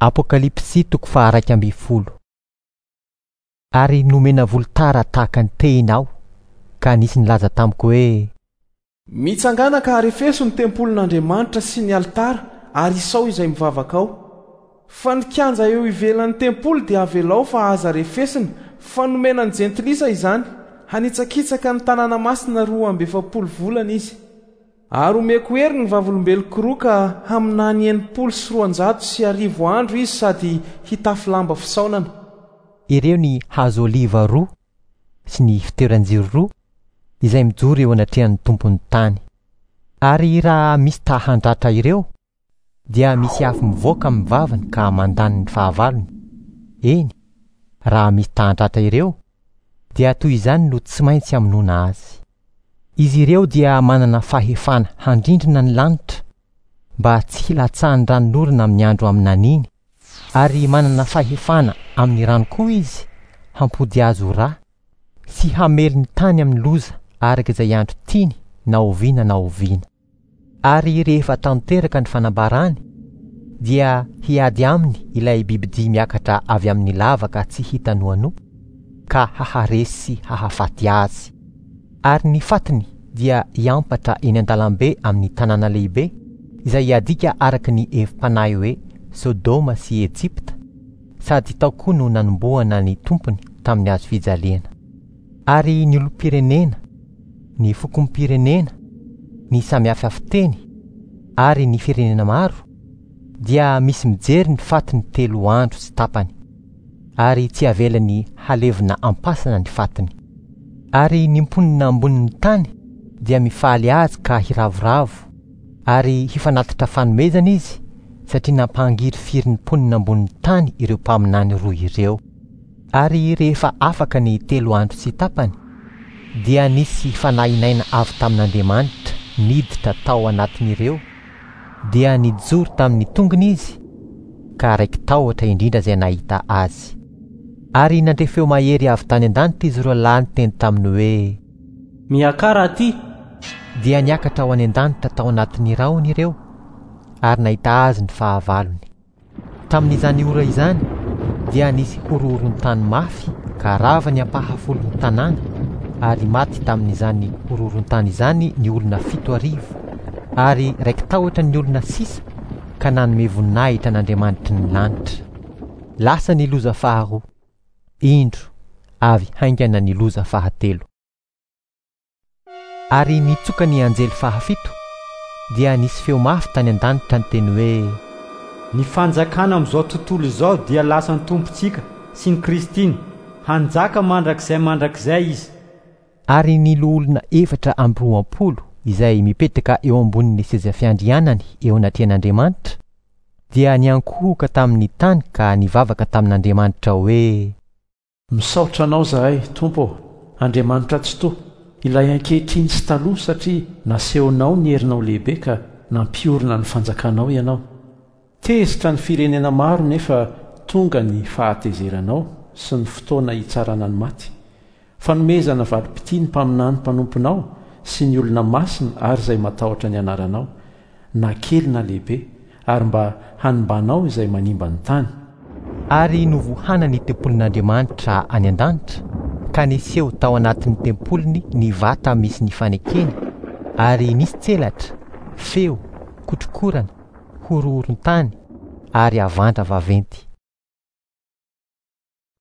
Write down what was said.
Apokalypsy toko faha-11. Ary nomena volotara tahaka ny tehina aho, ka nisy nilaza tamiko hoe. Mitsangàna ka arefeso ny tempolin'Andriamanitra sy ny alitara ary isao izay mivavaka ao. Fa ny kianja eo ivelan'ny tempoly dia avelao fa aza refesina, fa nomena ny jentilisa izany, hanitsakitsaka ny tanàna masina 42 volana izy. Ary homeko hery ny vavolombeloko roa ka haminany 1260 andro izy sady hitafy lamba fisaonana. Ireo ny hazo oliva roa sy ny fitoeran-jiro roa izay mijoro eo anatrehan'ny Tompon'ny tany. Ary raha misy ta handratra ireo, dia misy afo mivoaka amin'ny vavany ka mandany ny fahavalony. Eny, raha misy ta handratra ireo, dia toy izany no tsy maintsy hamonoana azy. Izy ireo dia manana fahefana handrindrina ny lanitra mba tsy hilatsahan'ny ranonorana amin'ny andro haminaniany, ary manana fahefana amin'ny rano koa izy hampody azy ho ra, sy hamely ny tany amin'ny loza araka izay andro tiany na oviana na oviana. Ary rehefa tanteraka ny fanambarany, dia hiady aminy ilay bibidia miakatra avy amin'ny lavaka tsy hita noanoa, ka haharesy sy hahafaty azy. Ary ny fatiny dia hiampatra eny an-dalambe amin'ny tanàna lehibe, izay adika araka ny hevi-panahy hoe Sodoma sy Ejipta, sady tao koa no nanombohana ny Tompony tamin'ny hazo fijaliana. Ary ny olom-pirenena, ny fokom-pirenena, ny samihafa fiteny, ary ny firenena maro, dia misy mijery ny fatiny telo andro sy tapany, ary tsy avelany halevina am-pasana ny fatiny. Ary ny mponina ambonin'ny tany dia mifaly azy ka hiravoravo, ary hifanatitra fanomezana izy, satria nampangirifiry ny mponina ambonin'ny tany ireo mpaminany roa ireo. Ary rehefa afaka ny telo andro sy tapany, dia nisy fanahin'aina avy tamin'Andriamanitra niditra tao anatin'ireo, dia nijoro tamin'ny tongony izy, ka raiki-tahotra indrindra izay nahita azy. Ary nandre feo mahery avy tany an-danitra izy roa lahy niteny taminy hoe, Miakara aty! Dia niakatra ho any an-danitra tao anatin'ny rahona ireo, ary nahita azy ny fahavalony. Tamin'izany ora izany dia nisy horohoron-tany mafy ka rava ny ampahafolon'ny tanàna, ary maty tamin'izany horohoron-tany izany ny olona 7000, ary raiki-tahotra ny olona sisa ka nanome voninahitra an'Andriamanitry ny lanitra. Lasa ny loza faharoa. Indro, avy haingana ny loza fahatelo. Ary nitsoka ny anjely fahafito, dia nisy feo mafy tany an-danitra niteny hoe, Ny fanjakana amin'izao tontolo izao dia lasan'ny Tompontsika sy ny Kristiny, hanjaka mandrakizay mandrakizay Izy. Ary ny loholona 24 izay mipetraka eo ambonin'ny seza fiandrianany eo anatrehan'Andriamanitra dia niankohoka tamin'ny tany ka nivavaka tamin'Andriamanitra hoe. Misaotra Anao izahay, Tompo ô, Andriamanitra Tsitoha, Ilay ankehitriny sy taloha, satria nasehonao ny herinao lehibe ka nampiorina ny fanjakanao Ianao. Tezitra ny firenena maro nefa tonga ny fahatezeranao sy ny fotoana hitsarana ny maty. Fanomezana valim-pitia ny mpaminany mpanomponao sy ny olona masina ary izay matahotra ny anaranao, na kely na lehibe, ary mba hanimbanao izay manimba ny tany. Ary novohana ny tempolin'Andriamanitra any an-danitra, ka niseho tao anatin'ny tempoliny ny vata misy ny fanekeny, ary nisy tselatra, feo, kotrokorana, horohoron-tany, ary havandra vaventy.